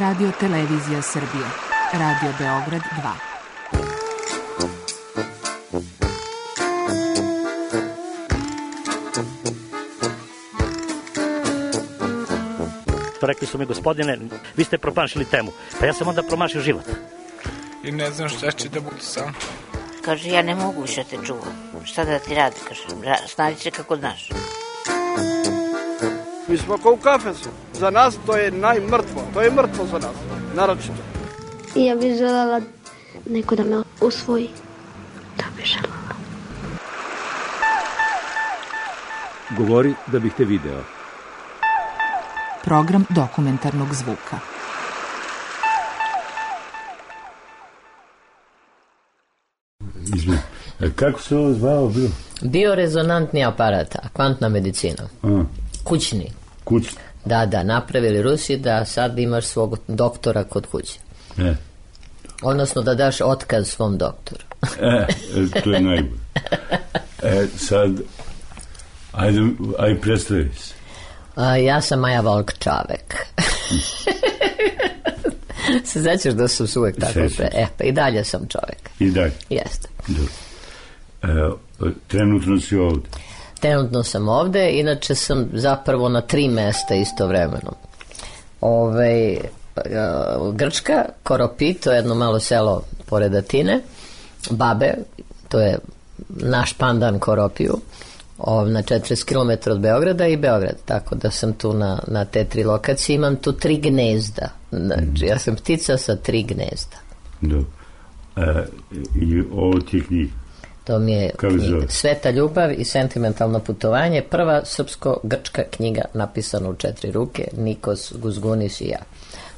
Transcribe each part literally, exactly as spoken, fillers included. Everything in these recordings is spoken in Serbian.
Radio Televizija Srbije. Radio Beograd dva. Rekli su mi, gospodine, vi ste promašili temu. Pa ja sam onda promašio život. I ne znam šta će da bude sam. Kaže, ja ne mogu više te čuvam. Šta da ti radi, kaže, snađi se kako znaš. Mi smo kao u kafesu. Za nas to je najmrtvo. To je mrtvo za nas, naročito. I ja bih želela neko da me usvoji. Da bih želela. Govori da bih te video. Program dokumentarnog zvuka. Izvim. Kako se ovo zvao bio? Biorezonantni aparat, kvantna medicina. A. Kućni. Kućni? Da, da, napravili Rusi da sad imaš svog doktora kod kuće. E. Odnosno da daš otkaz svom doktoru. E, to je najbolje. E, sad, ajde, ajde predstavi se. A, ja sam Maja Volk-Čavek. Se značiš da sam uvek tako pre... E, pa i dalje sam čovek. I dalje? Jeste. E, trenutno si ovde? Trenutno sam ovde, inače sam zapravo na tri mesta istovremeno. Ove, Grčka, Koropi, to je jedno malo selo pored Atine, Babe, to je naš pandan Koropiju, na četrdeset kilometara od Beograda i Beograd, tako da sam tu na, na te tri lokacije. Imam tu tri gnezda, znači ja sam ptica sa tri gnezda. Dobro. E, i ovo ti je knjiga? To mi je knjiga Sveta ljubav i sentimentalno putovanje, prva srpsko-grčka knjiga napisana u četiri ruke, Nikos Guzgunis i ja.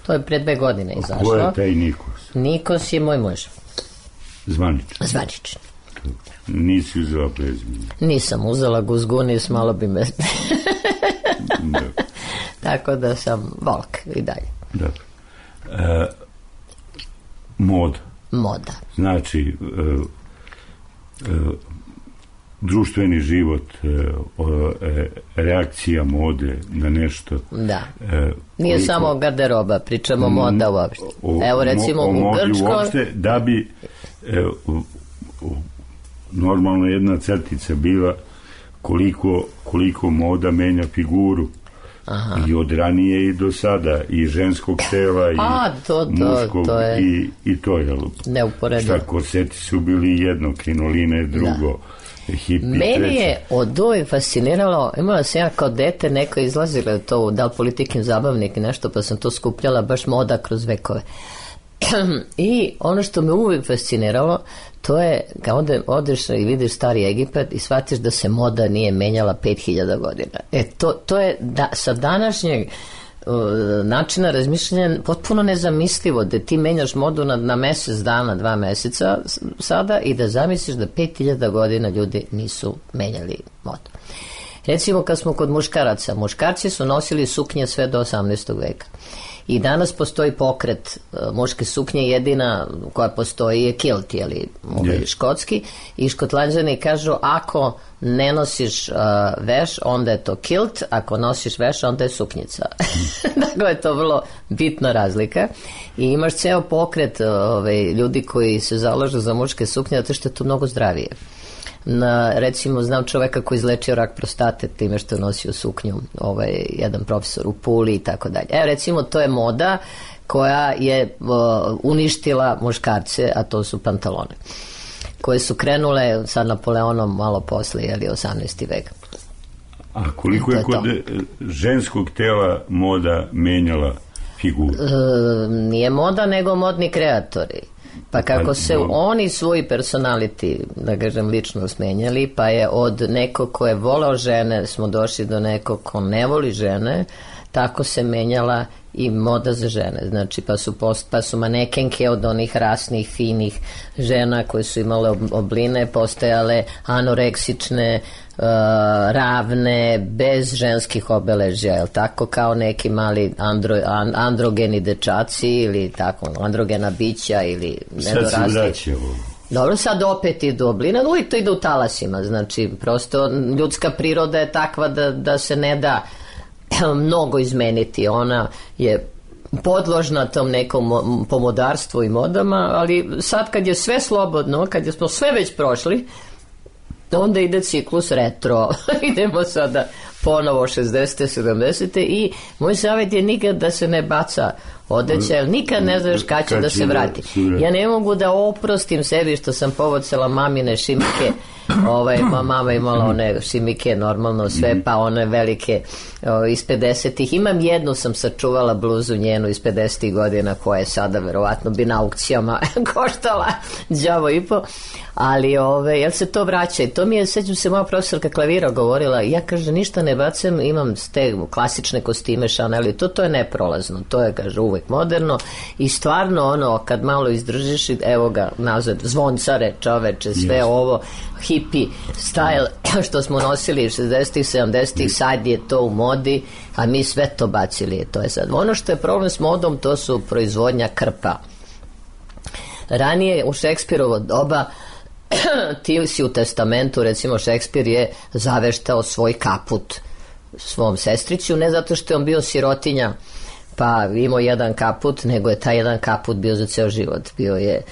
To je pre dve godine izašlo. Ko je taj Nikos? Nikos je moj muž. Zvaničan? Zvaničan. Nisi uzela prezime? Nisam uzela Guzgunis, malo bi me... Tako da sam Volk i dalje. Dobro. E, moda. Moda. Znači, e, e, društveni život, e, e, reakcija mode na nešto. Da. E, Nije koliko, samo garderoba, pričamo m, moda uopšte. O, Evo recimo o, o u Grčkoj... Uopšte, da bi e, u, u, normalno jedna crtica bila koliko, koliko moda menja figuru. Aha. I od ranije i do sada, i ženskog tela i A, to, to, muškog to je i, i to je neuporedivo. Šta, korseti su bili jedno, krinoline drugo, da. Hipi meni treće. Je od uvijek fasciniralo, imala sam ja kao dete, neko izlazilo to, da li Politikin zabavnik i nešto, pa sam to skupljala, baš moda kroz vekove. I ono što me uvijek fasciniralo, to je kad ode, odeš i vidiš stari Egipat i shvatiš da se moda nije menjala pet hiljada godina. E, to, to je da, sa današnjeg uh, načina razmišljanja potpuno nezamislivo da ti menjaš modu na, na mesec dana, dva meseca sada i da zamisliš da pet hiljada godina ljudi nisu menjali modu. Recimo kad smo kod muškaraca, muškarci su nosili suknje sve do osamnaestog veka. I danas postoji pokret uh, muške suknje, jedina koja postoji je kilt, jeli, yes. škotski, i Škotlanđani kažu ako ne nosiš uh, veš, onda je to kilt, ako nosiš veš, onda je suknjica. Dakle, je to vrlo bitna razlika. I imaš ceo pokret uh, ove, ljudi koji se zalažu za muške suknje, zato što je to mnogo zdravije. Na, recimo, znam čoveka koji izlečio rak prostate time što je nosio suknju, ovaj, jedan profesor u Puli i tako dalje. Evo, recimo, to je moda koja je uh, uništila muškarce, a to su pantalone, koje su krenule sa Napoleonom malo posle, jeli, osamnaesti vek. A koliko je, je kod ženskog tela moda menjala figuru? E, nije moda, nego modni kreatori. Pa kako se oni svoji personality, da kažem, lično smenjali, pa je od nekog ko je volao žene smo došli do nekog ko ne voli žene, tako se menjala i moda za žene. Znači, pa su, post, pa su manekenke od onih rasnih, finih žena koje su imale obline postajale anoreksične, uh, ravne, bez ženskih obeležja, jel tako, kao neki mali andro, an, androgeni dečaci ili tako, androgena bića ili nedorasli. Sad se vraća ovo. Dobro, sad opet idu obline, uvijek to ide u talasima, znači, prosto ljudska priroda je takva da, da se ne da mnogo izmeniti. Ona je podložna tom nekom pomodarstvu i modama, ali sad kad je sve slobodno, kad je smo sve već prošli, onda ide ciklus retro. Idemo sada ponovo šezdesete, sedamdesete i moj savjet je nikad da se ne baca odeća, jer nikad ne znaš kad će da se vrati. Ja ne mogu da oprostim sebi što sam povocala mamine šimike. Ovaj, mama imala one šimike normalno sve, pa one velike o, iz pedesetih. Imam jednu, sam sačuvala bluzu njenu iz pedesetih godina koja je sada verovatno bi na aukcijama koštala đavo i po, ali ove, jel se to vraća i to mi je, sećam se, moja profesorka klavira govorila, ja kaže ništa ne bacam, imam te klasične kostime Chanel i to, to je neprolazno, to je kaže uvek moderno i stvarno ono kad malo izdržiš, evo ga nazad zvoncare čoveče, sve yes. ovo hippie style što smo nosili šezdesetih, sedamdesetih, sad je to u modi, a mi sve to bacili, to je sad. Ono što je problem s modom, to su proizvodnja krpa. Ranije u Šekspirovo doba ti si u testamentu, recimo Šekspir je zaveštao svoj kaput svom sestriću, ne zato što je on bio sirotinja pa imao jedan kaput, nego je taj jedan kaput bio za ceo život, bio je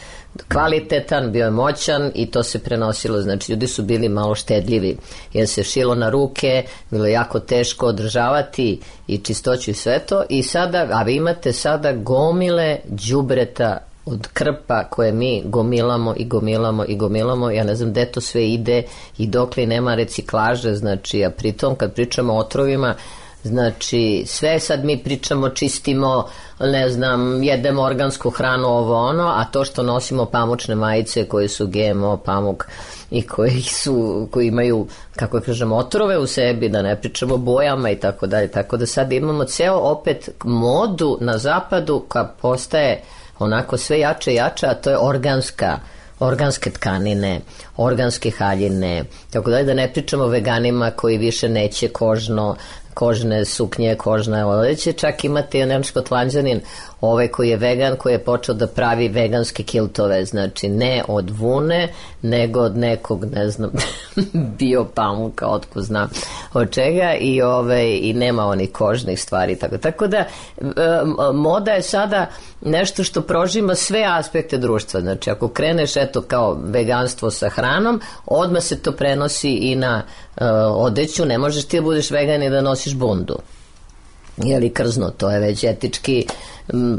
kvalitetan, bio je moćan i to se prenosilo, znači ljudi su bili malo štedljivi jer se šilo na ruke, bilo je jako teško održavati i čistoću i sve to i sada, a vi imate sada gomile đubreta od krpa koje mi gomilamo i gomilamo i gomilamo, ja ne znam gde to sve ide i dokle nema reciklaže, znači, a pritom kad pričamo o otrovima, znači sve sad mi pričamo, čistimo, ne znam, jedemo organsku hranu, ovo ono, a to što nosimo pamučne majice koje su G M O pamuk i koji su, koji imaju, kako kažemo, otrove u sebi, da ne pričamo o bojama i tako dalje, tako da sad imamo ceo opet modu na zapadu koja postaje onako sve jače i jače, a to je organska organske tkanine, organske haljine, tako dalje, da ne pričamo o veganima koji više neće kožno, kožne suknje, kožne odeće, čak imate jedan škotlanđanin ovaj koji je vegan, koji je počeo da pravi veganske kiltove, znači ne od vune, nego od nekog, ne znam, bio pamuka, otko znam od čega i, ove, i nema onih kožnih stvari. Tako, tako da moda je sada nešto što prožima sve aspekte društva, znači ako kreneš eto kao veganstvo sa hranom, odmah se to prenosi i na uh, odeću, ne možeš ti da budeš vegan i da nosiš bundu. Jeli krzno, to je već etički m,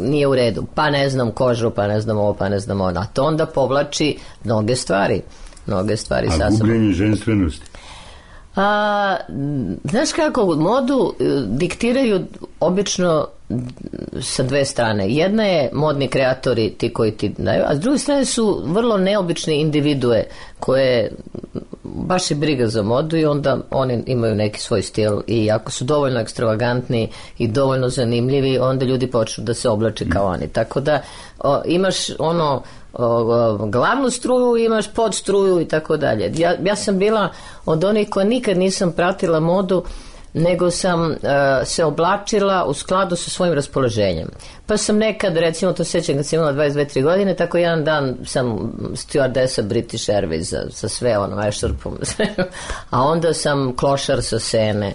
nije u redu, pa ne znam kožu, pa ne znam ovo, pa ne znam ono, a to onda povlači mnoge stvari mnoge stvari. A gubljenje ženstvenosti? A, znaš kako, modu diktiraju obično sa dve strane. Jedna je modni kreatori, ti koji ti daju, a s druge strane su vrlo neobične individue koje baš je briga za modu i onda oni imaju neki svoj stil i ako su dovoljno ekstravagantni i dovoljno zanimljivi, onda ljudi počnu da se oblače kao oni. Tako da o, imaš ono o, o, glavnu struju, imaš podstruju i tako dalje. Ja, ja sam bila od onih koja nikad nisam pratila modu, nego sam uh, se oblačila u skladu sa svojim raspoloženjem. Pa sam nekad, recimo, to sećam kad sam imala dvadeset dve tri godine, tako jedan dan sam stewardesa British Airways za, sa sve ono, ešarpom, a onda sam klošar sa Sene,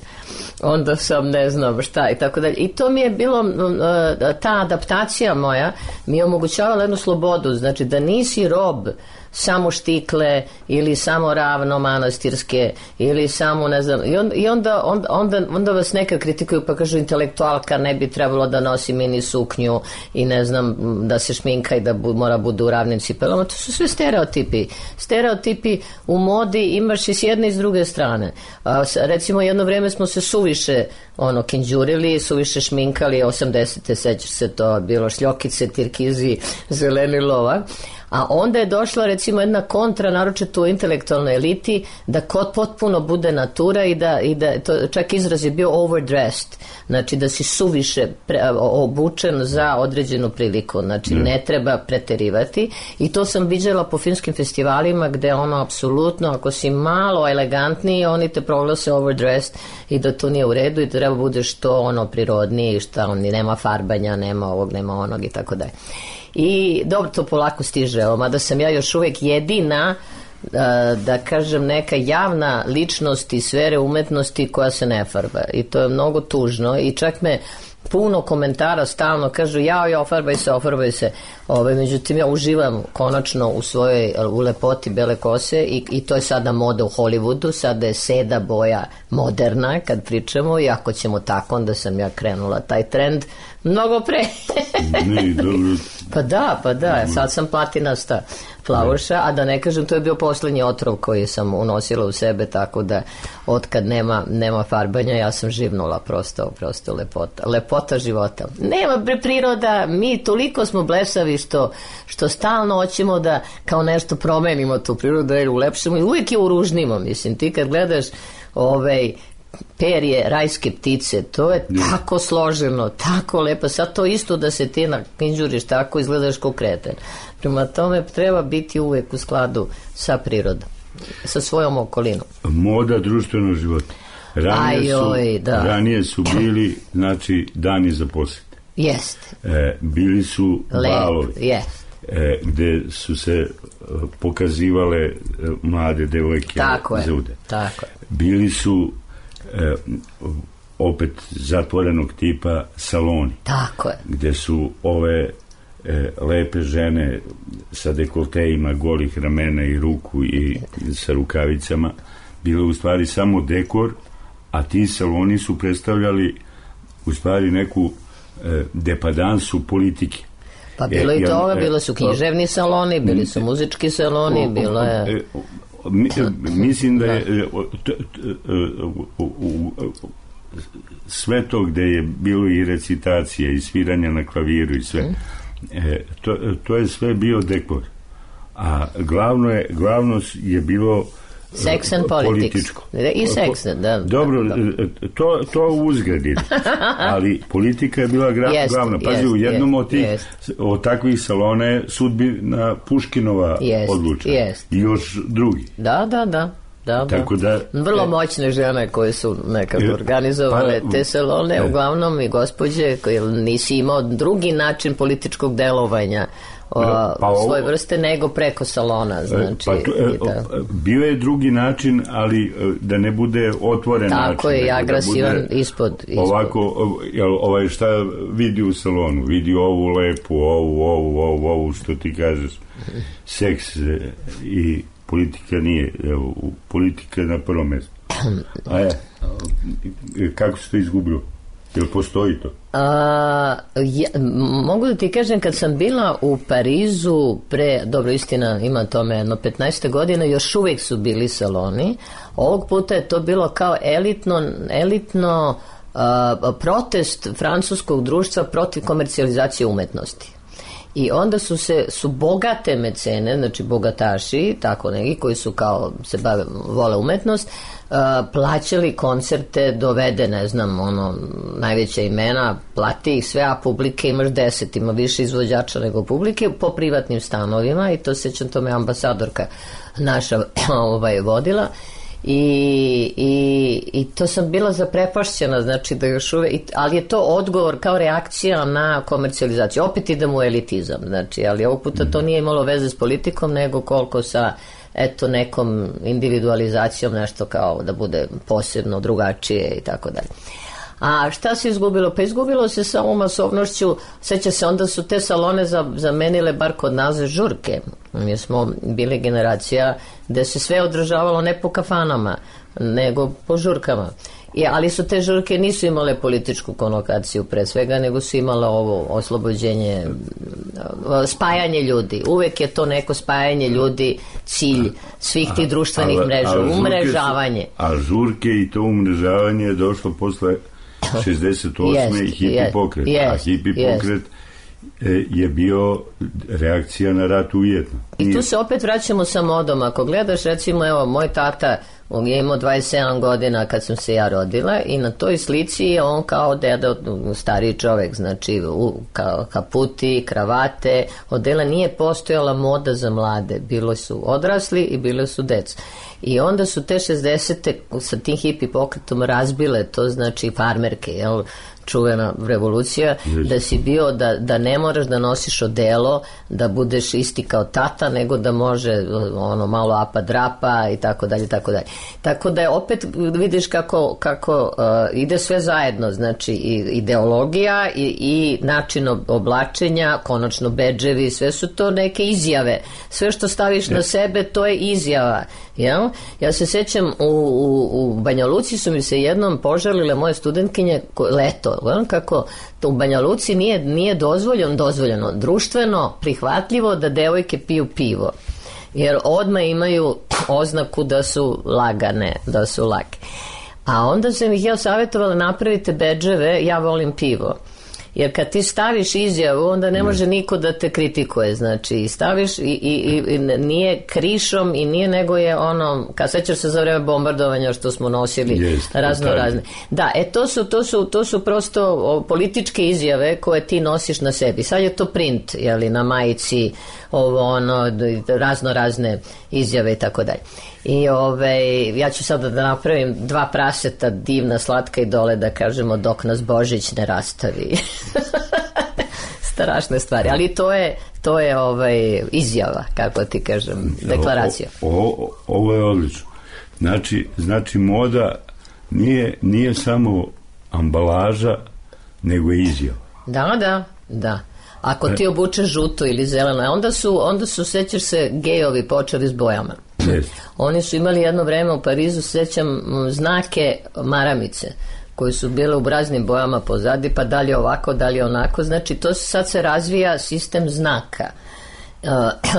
onda sam ne znam šta i tako dalje. I to mi je bilo, uh, ta adaptacija moja mi je omogućavala jednu slobodu, znači da nisi rob samo štikle ili samo ravno manastirske ili samo ne znam i, on, i onda, onda, onda, onda vas nekad kritikuju pa kažu intelektualka ne bi trebalo da nosi mini suknju i ne znam da se šminka i da bu, mora bude u ravnim cipelama, to su sve stereotipi stereotipi u modi imaš i s jedne i s druge strane. A, recimo jedno vreme smo se suviše ono kinđurili, suviše šminkali osamdesete, sećaš se to bilo šljokice, tirkizi, zeleni lova. A onda je došla recimo jedna kontra, naročito u intelektualnoj eliti, da kod potpuno bude natura i da, i da to, čak izraz je bio overdressed, znači da si suviše pre, obučen za određenu priliku, znači mm. ne treba preterivati i to sam viđala po filmskim festivalima gde ono apsolutno, ako si malo elegantniji, oni te proglase overdressed i da to nije u redu i da treba bude što ono prirodniji, šta on nema farbanja, nema ovog, nema onog i tako dalje. I dobro, to polako stiže, mada sam ja još uvijek jedina da, da kažem neka javna ličnost iz sfere umetnosti koja se ne farba i to je mnogo tužno i čak me puno komentara stalno, kažu jao, ja, ofarbaj se, ofarbaj se. Ove, međutim, ja uživam konačno u svojoj, u lepoti bele kose i, i to je sada moda u Hollywoodu, sada je seda boja moderna kad pričamo i ako ćemo tako, onda sam ja krenula taj trend mnogo pre. Ne, dobro. Pa da, pa da, sad sam platinasta plavuša, a da ne kažem, to je bio poslednji otrov koji sam unosila u sebe, tako da otkad nema, nema farbanja, ja sam živnula, prosto, prosto lepota, lepota života. Nema priroda, mi toliko smo blesavi što, što stalno hoćemo da kao nešto promenimo tu prirodu, da je ulepšamo i uvijek je uružnimo, mislim, ti kad gledaš ovaj perje rajske ptice, to je tako složeno, tako lepo, sad to isto da se ti nakinđuriš, tako izgledaš kao kreten. Prema tome treba biti uvek u skladu sa prirodom, sa svojom okolinom. Moda društvenog života. Ranije, Ajoj, su, da. ranije su bili, znači, dani za posjete. Jeste. E, bili su balovi. Jest. E, gde su se e, pokazivale e, mlade devojke tako za je, ude. tako je. Bili su e, opet zatvorenog tipa saloni. Tako je. Gde su ove e, lepe žene sa dekoltejima golih ramena i ruku i sa rukavicama bile u stvari samo dekor, a ti saloni su predstavljali u stvari neku e, depadansu politike. Pa bilo e, i toga, e, bilo su književni saloni, bili su muzički saloni, bilo je... E, mi, mislim da je sve to gde je bilo i recitacija i sviranja na klaviru i sve, e, to, to je sve bio dekor, a glavno je, glavno je bilo Sex and političko. I sex, da. Dobro, da. to, to uzgradi, ali politika je bila gra, jest, glavna. Pazi, jest, u jednom od, tih, jest. od takvih salona je sudbina Puškinova jest, odlučena. Jest. I još drugi. Da, da, da. Da, tako da, vrlo moćne žene koje su nekako organizovale pa, te salone, e. uglavnom i gospođe koje nisi imao drugi način političkog delovanja o, pa ovo, svoje vrste nego preko salona, znači pa to, e, bio je drugi način, ali da ne bude otvoren tako način, tako je, i agresivan da ispod, ispod ovako, jel, ovaj šta vidi u salonu, vidi ovu lepu, ovu, ovu, ovu, ovu što ti kažeš, seks i politika nije, evo, politika je na prvom mjestu. A je, kako se to izgubilo? Jel postoji to? A, ja, mogu da ti kažem, kad sam bila u Parizu pre, dobro, istina, ima tome jedno petnaest godina, još uvijek su bili saloni. Ovog puta je to bilo kao elitno, elitno a, protest francuskog društva protiv komercijalizacije umetnosti. I onda su se, su bogate mecene, znači bogataši, tako neki koji su kao se bave, vole umetnost, uh, plaćali koncerte, dovede, ne znam, ono, najveća imena, plati ih sve, a publike imaš deset, ima više izvođača nego publike, po privatnim stanovima, i to sećam, to me ambasadorka naša ovaj, vodila. I, i, i to sam bila zaprepašćena, znači da još uvek, ali je to odgovor kao reakcija na komercijalizaciju, opet idem u elitizam, znači, ali ovog puta to nije imalo veze s politikom, nego koliko sa eto nekom individualizacijom, nešto kao da bude posebno drugačije i tako dalje. A šta se izgubilo? Pa izgubilo se samo masovnošću. Seća se, onda su te salone zamenile, bar kod nas, žurke. Mi smo bili generacija gde se sve održavalo ne po kafanama, nego po žurkama. I, ali su te žurke nisu imale političku konotaciju pre svega, nego su imale ovo oslobođenje, spajanje ljudi. Uvek je to neko spajanje ljudi, cilj svih tih društvenih a, a, mreža, a umrežavanje. Su, a žurke i to umrežavanje je došlo posle šezdeset osme yes, i hipi yes, pokret. Yes, a hipi yes. pokret je bio reakcija na rat u Vijetnamu. I tu se opet vraćamo sa modom. Ako gledaš, recimo, evo, moj tata je imao dvadeset sedam godina kad sam se ja rodila i na toj slici je on kao deda, stariji čovek, znači u, kao kaputi, kravate, odela, nije postojala moda za mlade, bilo su odrasli i bilo su deca. I onda su te šezdesete sa tim hipi pokretom razbile to, znači farmerke, jel, čuvena revolucija, yes. da si bio, da, da ne moraš da nosiš odelo, da budeš isti kao tata, nego da može ono malo apa drapa i tako dalje, tako dalje. Tako da je opet, vidiš kako, kako uh, ide sve zajedno, znači i ideologija i, i način oblačenja, konačno bedževi, sve su to neke izjave. Sve što staviš na sebe, to je izjava. Ja, ja se sećam, u, u, u Banja Luci su mi se jednom požalile moje studentkinje leto, kako to u Banja Luci nije, nije dozvoljeno, dozvoljeno, društveno prihvatljivo da devojke piju pivo. Jer odmah imaju oznaku da su lagane, da su lake. A onda sam ih ja savjetovala, napravite bedževe, ja volim pivo. Jer kad ti staviš izjavu, onda ne može niko da te kritikuje, znači staviš i, i, i nije krišom i nije, nego je ono, kad sećaš se za vreme bombardovanja što smo nosili yes, razno razne. Da, e to su, to su, to su prosto političke izjave koje ti nosiš na sebi. Sad je to print, jeli, na majici, ovo ono, razno razne izjave i tako dalje. I ove, ja ću sada da napravim dva praseta, divna, slatka i dole, da kažemo dok nas Božić ne rastavi. Strašne stvari, ali to je, to je ovaj, izjava, kako ti kažem, deklaracija. O, o, ovo je odlično. Znači, znači moda nije, nije samo ambalaža, nego je izjava. Da, da, da. Ako ti obučeš žuto ili zeleno, onda su, onda su, sećaš se, gejovi počeli s bojama. Yes. Oni su imali jedno vreme u Parizu, sećam, znake maramice koji su bile u raznim bojama pozadi, pa dalje ovako, dalje onako. Znači, to sad se razvija sistem znaka.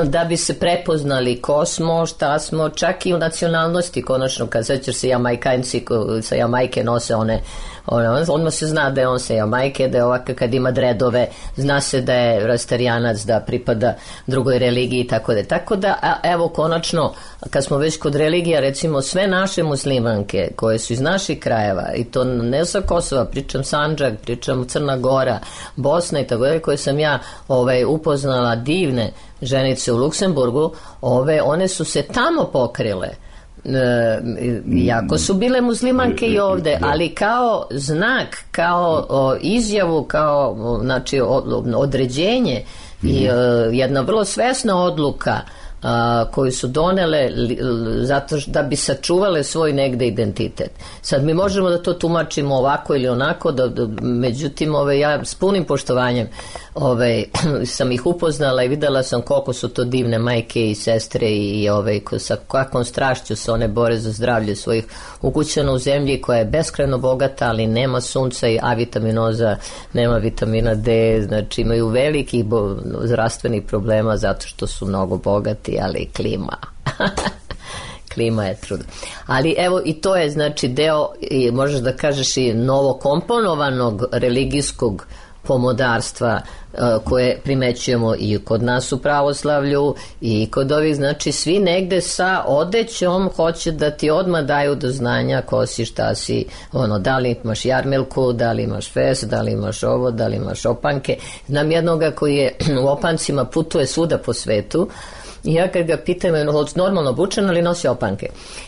Da bi se prepoznali ko smo, šta smo, čak i u nacionalnosti, konačno, kad sećaš se Jamajkanci sa Jamajke nose one, one, odmah se zna da je on sa Jamajke, da je ovako kad ima dredove, zna se da je rastarijanac, da pripada drugoj religiji i tako da. Tako da, a, evo, konačno, kad smo već kod religija, recimo sve naše muslimanke koje su iz naših krajeva, i to ne sa Kosova, pričam Sandžak, pričam Crna Gora, Bosna i tako da, koje sam ja ovaj, upoznala, divne ženice u Luksemburgu, ove, one su se tamo pokrile. E, jako su bile muslimanke i ovde, ali kao znak, kao o, izjavu, kao o, znači, o, određenje i o, jedna vrlo svesna odluka a, koju su donele li, zato da bi sačuvale svoj negde identitet. Sad mi možemo da to tumačimo ovako ili onako, da, da, međutim ove, ja s punim poštovanjem ove, sam ih upoznala i videla sam koliko su to divne majke i sestre i ove, ko, sa kakvom strašću se one bore za zdravlje svojih ukućana u zemlji koja je beskrajno bogata, ali nema sunca i A vitaminoza, nema vitamina D, znači imaju velikih bo, zdravstvenih problema zato što su mnogo bogati, ali klima klima je trudna. Ali evo i to je znači deo, i možeš da kažeš, i novokomponovanog religijskog pomodarstva uh, koje primećujemo i kod nas u pravoslavlju i kod ovih, znači svi negde sa odećom hoće da ti odmah daju do znanja ko si, šta si, ono, da li imaš jarmelku, da li imaš fes, da li imaš ovo, da li imaš opanke. Znam jednoga koji je u opancima, putuje svuda po svetu. I ja kad ga pitam, je normalno obučen, ali nosi opanke.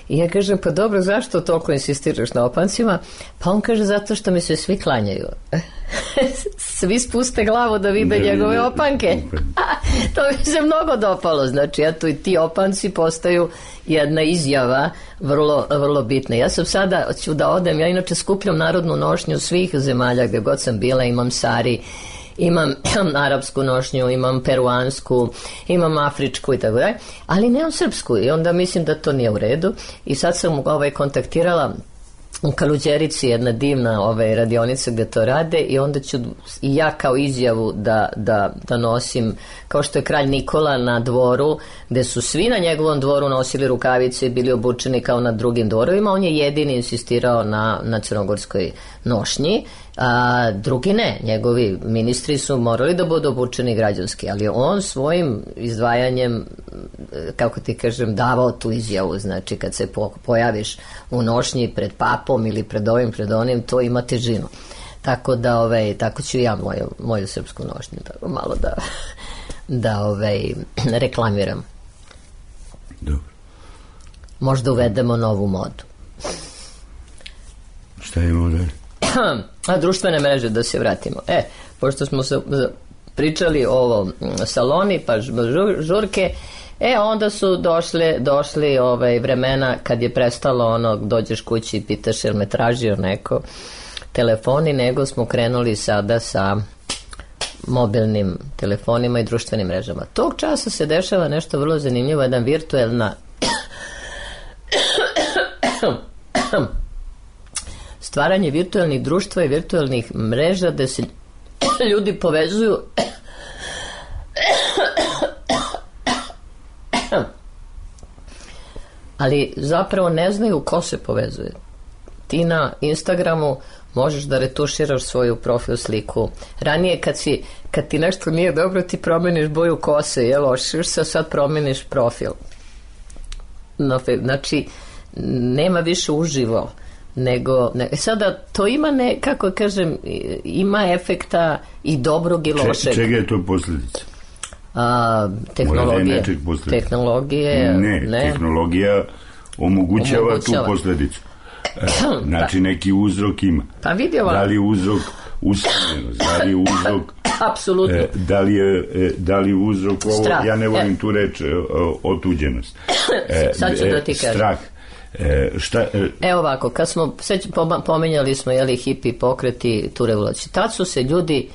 I ja kažem, pa dobro, zašto toliko insistiraš na opancima? Pa on kaže, zato što mi se svi klanjaju. Svi spuste glavu da vide ne, njegove ne, opanke. To mi se mnogo dopalo. Znači, eto i ti opanci postaju jedna izjava vrlo, vrlo bitna. Ja sam sada, ću da odem, ja inače skupljam narodnu nošnju svih zemalja gdje god sam bila, imam sari, imam arapsku nošnju, imam peruansku, imam afričku i tako dalje, ali nemam srpsku i onda mislim da to nije u redu. I sad sam ovaj, kontaktirala u Kaluđerici, jedna divna ovaj, radionica gdje to rade, i onda ću i ja kao izjavu da, da, da nosim, kao što je kralj Nikola na dvoru, gdje su svi na njegovom dvoru nosili rukavice i bili obučeni kao na drugim dvorovima, on je jedini insistirao na, na crnogorskoj nošnji, a drugi ne, njegovi ministri su morali da budu obučeni građanski, ali on svojim izdvajanjem, kako ti kažem, davao tu izjavu. Znači kad se po, pojaviš u nošnji pred papom ili pred ovim, pred onim, to ima težinu. Tako da, ovaj, tako ću ja moju, moju srpsku nošnju tako malo da da ovaj, reklamiram. Dobro. Možda uvedemo novu modu. Šta imamo dalje? A društvene mreže, da se vratimo. E, pošto smo se pričali o ovo saloni, pa žurke, E, onda su došli, došli ovaj, vremena kad je prestalo ono, dođeš kući i pitaš jel me tražio neko telefoni, nego smo krenuli sada sa mobilnim telefonima i društvenim mrežama. Tog časa se dešava nešto vrlo zanimljivo, jedan virtuelna stvaranje virtualnih društva i virtualnih mreža gde se ljudi povezuju ali zapravo ne znaju ko se povezuje. Ti na Instagramu možeš da retuširaš svoju profil sliku. Ranije kad si, kad ti nešto nije dobro, ti promeniš boju kose, jel, ošiš se, sad promeniš profil. No, znači, nema više uživo, nego, ne, sada to ima ne, kako kažem, ima efekta i dobrog i lošeg. Če, čega je to posljedica? A, tehnologije. Tehnologije, ne, ne, tehnologija omogućava, omogućava tu posljedicu. Znači neki uzrok ima. Pa vidi ovako. Da li je uzrok usamljenost, da li je uzrok apsolutno. E, da li je, da li je uzrok ovo, strah. Ja ne volim e. tu reč e, otuđenost. E, Sad ću da ti kažem. Strah. E, šta, e, Evo ovako, kad smo, sve pomenjali smo, jeli, hipi pokreti, tu revoluciju. Tad su se ljudi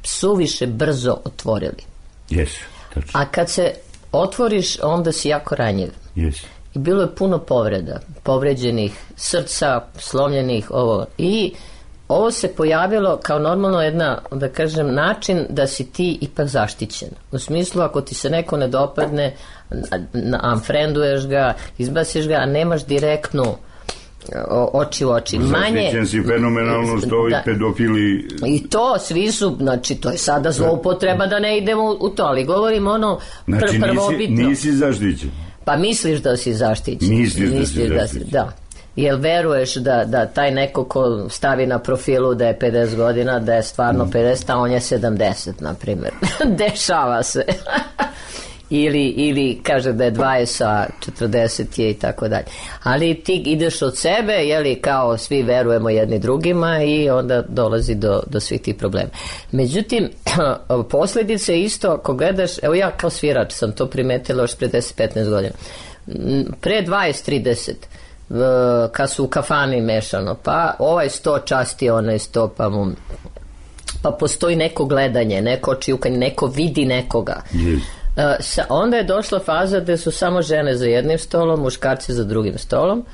suviše brzo otvorili. Jesu, tačno. A kad se otvoriš, onda si jako ranjiv. Jesu. I bilo je puno povreda, povređenih srca, slomljenih, ovo. I ovo se pojavilo kao normalno jedna, da kažem, način da si ti ipak zaštićen. U smislu, ako ti se neko ne dopadne, unfrienduješ ga, izbasiš ga, a nemaš direktnu oči u oči. Manje, zaštićen si fenomenalno što ovi da, pedofili... I to, svi su, znači, to je sada zloupotreba da ne idemo u to, ali govorim ono pr- znači, prvobitno. Nisi, nisi zaštićen. Pa misliš da si zaštićen. Misliš da si zaštićen. Da. Jel veruješ da, da taj neko ko stavi na profilu da je pedeset godina, da je stvarno pedeset, a on je sedamdeset, na primjer. Dešava se. ili, ili kaže da je dvadeset, a četrdeset je i tako dalje. Ali ti ideš od sebe, jeli, kao svi verujemo jedni drugima i onda dolazi do, do svih tih problema. Međutim, posljedice isto, ako gledaš, evo ja kao svirač sam to primetila još pre deset petnaest godina. Pre dvadeset trideset kad su u kafani mešano, pa ovaj sto časti onaj sto, pa mu pa postoji neko gledanje, neko očijukanje, neko vidi nekoga. Yes. Uh, sa, onda je došla faza gde su samo žene za jednim stolom, muškarci za drugim stolom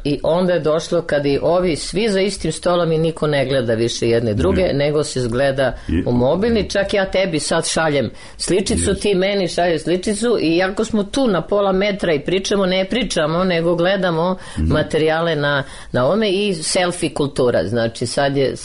i onda je došlo kad i ovi svi za istim stolom i niko ne gleda više jedne druge, mm. nego se zgleda u mobilni. Čak ja tebi sad šaljem sličicu, yes. ti meni šalješ sličicu i jako smo tu na pola metra i pričamo, ne pričamo, nego gledamo mm. materijale na, na ome i selfie kultura. Znači sad je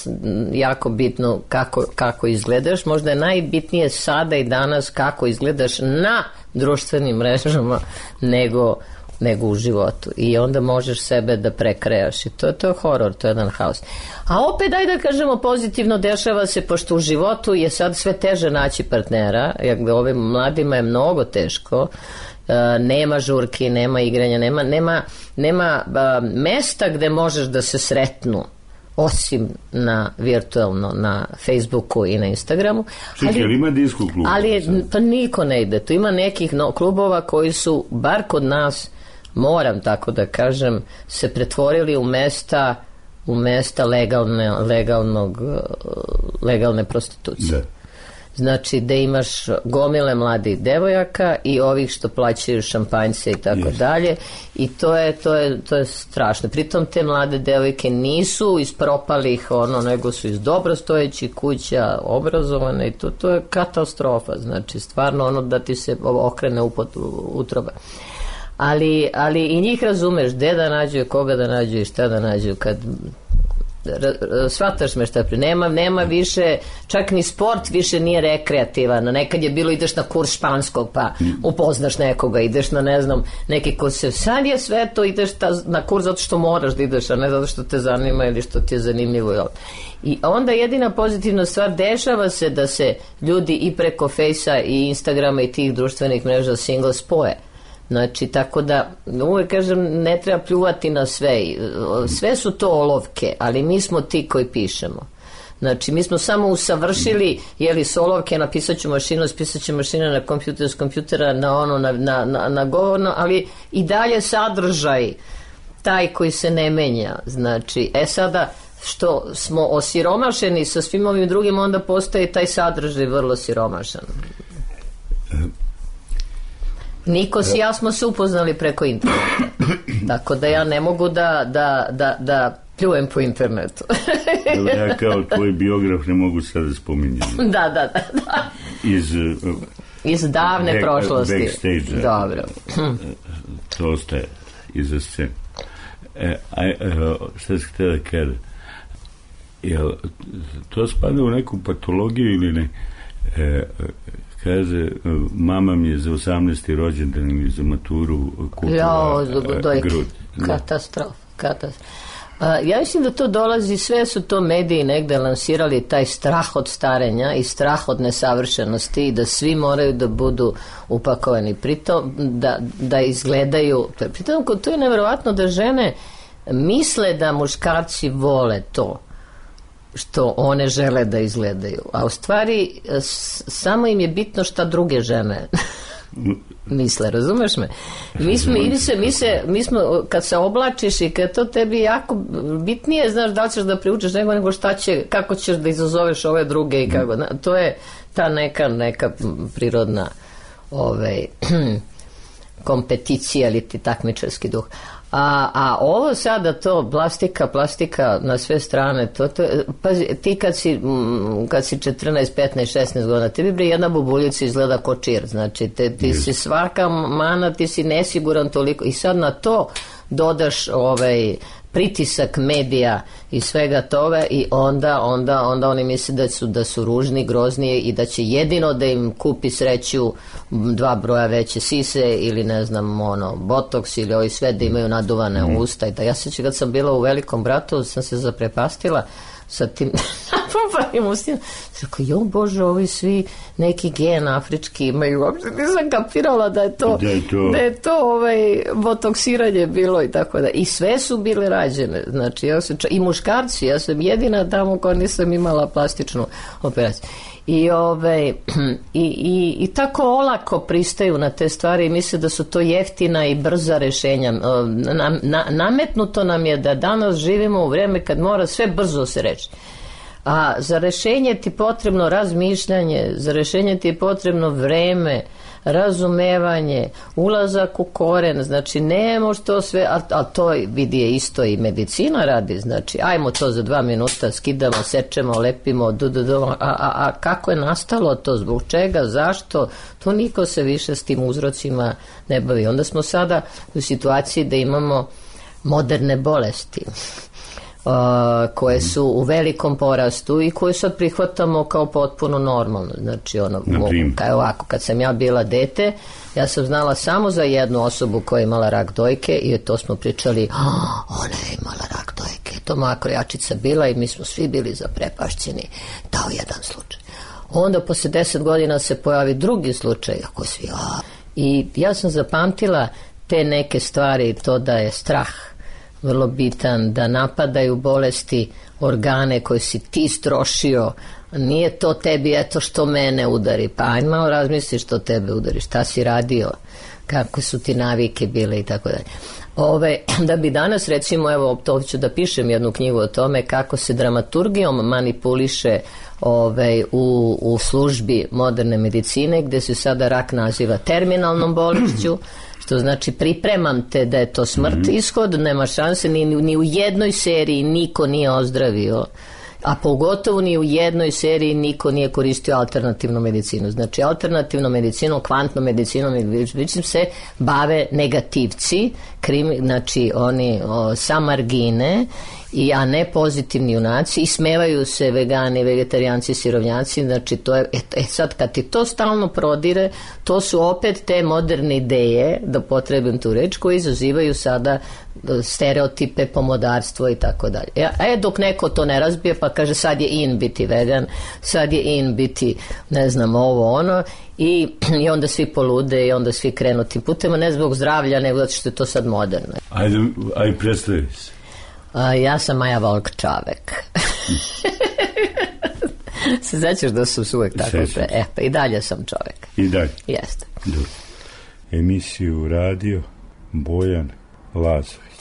jako bitno kako, kako izgledaš. Možda je najbitnije sada i danas kako izgledaš na društvenim mrežama nego nego u životu i onda možeš sebe da prekrejaš i to, to je horor, to je jedan haos. A opet daj da kažemo pozitivno, dešava se pošto u životu je sad sve teže naći partnera, jer ovim mladima je mnogo teško, uh, nema žurki, nema igranja, nema, nema, nema uh, mesta gde možeš da se sretnu osim na virtualno na Facebooku i na Instagramu. Čekaj, ali ima disko kluba? Ali pa niko ne ide. Tu ima nekih no, klubova koji su, bar kod nas, moram tako da kažem, se pretvorili u mesta u mesta legalne, legalnog, legalne prostitucije. Da. Znači da imaš gomile mladih devojaka i ovih što plaćaju šampanjce i tako yes. dalje i to je, to, je, to je strašno. Pritom te mlade devojke nisu iz propalih ono, nego su iz dobrostojećih kuća, obrazovane i to, to je katastrofa. Znači stvarno ono da ti se okrene upot, utroba. Ali, ali i njih razumeš gde da nađu, koga da nađu i šta da nađu kad shvataš me šta pri nema, nema više, čak ni sport više nije rekreativan. Nekad je bilo ideš na kurs španskog pa upoznaš nekoga, ideš na ne znam neki kurs, sad je sve to ideš ta, na kurs zato što moraš da ideš, a ne zato što te zanima ili što ti je zanimljivo. I onda jedina pozitivna stvar, dešava se da se ljudi i preko Fejsa i Instagrama i tih društvenih mreža single spoje. Znači, tako da uvijek kažem, ne treba pljuvati na sve. Sve su to olovke, ali mi smo ti koji pišemo. Znači, mi smo samo usavršili, jeli, solovke, napisat ću mašinu, spisat ću mašina na kompjuter, s kompjutera na ono, na, na, na, na govorno, ali i dalje sadržaj taj koji se ne menja. Znači, e sada, što smo osiromašeni sa svim ovim drugim, onda postaje taj sadržaj vrlo siromašan. Nikos i ja smo se upoznali preko interneta. Tako da ja ne mogu da, da, da, da pljujem po internetu. Ja kao tvoj biograf ne mogu sad da spominjem. Da, da, da, da. Iz, iz davne back, prošlosti. Backstage. Dobro. To ostaje iza scene. E, a, šta se htio da kada? Jel, to spada u neku patologiju ili ne? E, kaže, mama mi je za osamnaesti rođendan ili za maturu kupila ja, grud. Katastrof, katastrof. A, ja mislim da to dolazi, sve su to mediji negde lansirali taj strah od starenja i strah od nesavršenosti i da svi moraju da budu upakovani pritom, da, da izgledaju pritom to je nevjerovatno da žene misle da muškarci vole to što one žele da izgledaju, a u stvari samo im je bitno šta druge žene misle, razumeš me? Mi smo, mi se, mi se, mi smo, kad se oblačiš i kad to tebi jako bitnije, znaš da li ćeš da priučeš nego, nego šta će, kako ćeš da izazoveš ove druge i kako, to je ta neka, neka prirodna ovaj, kompeticija ili ti takmičarski duh. A, a ovo sada to plastika, plastika na sve strane, to, to, pazi, ti kad si, kad si četrnaest, petnaest, šesnaest godina, tebi bre jedna bubuljica izgleda ko čir, znači te, ti si svaka mana, ti si nesiguran toliko i sad na to dodaš ovaj pritisak medija i svega toga i onda, onda, onda oni misle da su, da su ružni, grozni i da će jedino da im kupi sreću dva broja veće sise ili ne znam ono, botoks ili ovi sve da imaju naduvane mm. usta i da ja se kad sam bila u Velikom bratu sam se zaprepastila sa tim napumpanim ustima. Rekao, jo Bože, ovi svi neki gen afrički imaju, uopšte nisam kapirala da je to, da je to, da je to ovaj, botoksiranje bilo i tako da. I sve su bile rađene, znači ja sam, i muškarci, ja sam jedina tamo koja nisam imala plastičnu operaciju. I, ove, i, i, i tako olako pristaju na te stvari i misle da su to jeftina i brza rešenja. Na, na, nametnuto nam je da danas živimo u vreme kad mora sve brzo se reći. A za rešenje ti potrebno razmišljanje, za rešenje ti je potrebno vreme, razumevanje, ulazak u koren, znači nemo što sve, a, a to vidi je isto i medicina radi, znači ajmo to za dva minuta, skidamo, sečemo, lepimo, du, du, du, a, a, a kako je nastalo to, zbog čega, zašto, to niko se više s tim uzrocima ne bavi. Onda smo sada u situaciji da imamo moderne bolesti. Uh, koje su u velikom porastu i koje sad prihvatamo kao potpuno normalno. Znači ono, kao ovako, kad sam ja bila dete, ja sam znala samo za jednu osobu koja je imala rak dojke i to smo pričali, oh, ona je imala rak dojke, to moja krojačica bila i mi smo svi bili zaprepašćeni, dao jedan slučaj. Onda posle deset godina se pojavi drugi slučaj, ako svi, oh. I ja sam zapamtila te neke stvari, to da je strah vrlo bitan, da napadaju bolesti organe koje si ti strošio, nije to tebi eto što mene udari, pa ajde malo razmisli što tebe udari, šta si radio, kako su ti navike bile i tako dalje. Ove, da bi danas recimo, evo to ću da pišem jednu knjigu o tome kako se dramaturgijom manipuliše ove, u, u službi moderne medicine, gde se sada rak naziva terminalnom bolešću, što znači pripremam te da je to smrt, ishod, nema šanse, ni, ni u jednoj seriji niko nije ozdravio, a pogotovo ni u jednoj seriji niko nije koristio alternativnu medicinu. Znači alternativnom medicinom, kvantnom medicinom se bave negativci, krimi, znači oni o, sa margine, i, a ne pozitivni junaci, i smevaju se vegani, vegetarijanci, sirovnjaci, znači to je, e, sad kad ti to stalno prodire, to su opet te moderne ideje, da potrebim tu reč, koji izazivaju sada stereotipe, pomodarstvo i tako dalje. E, dok neko to ne razbije, pa kaže sad je in biti vegan, sad je in biti, ne znam, ovo, ono, i, i onda svi polude i onda svi krenu tim putem, ne zbog zdravlja, nego zato što je to sad moderno. Ajde, ajde predstavi se. A, ja sam Maja Volk Čavek. Se značiš da sam uvek tako pre... E, pa i dalje sam čovjek. I dalje? Jeste. Dobro. Emisiju radio Bojan Lazović.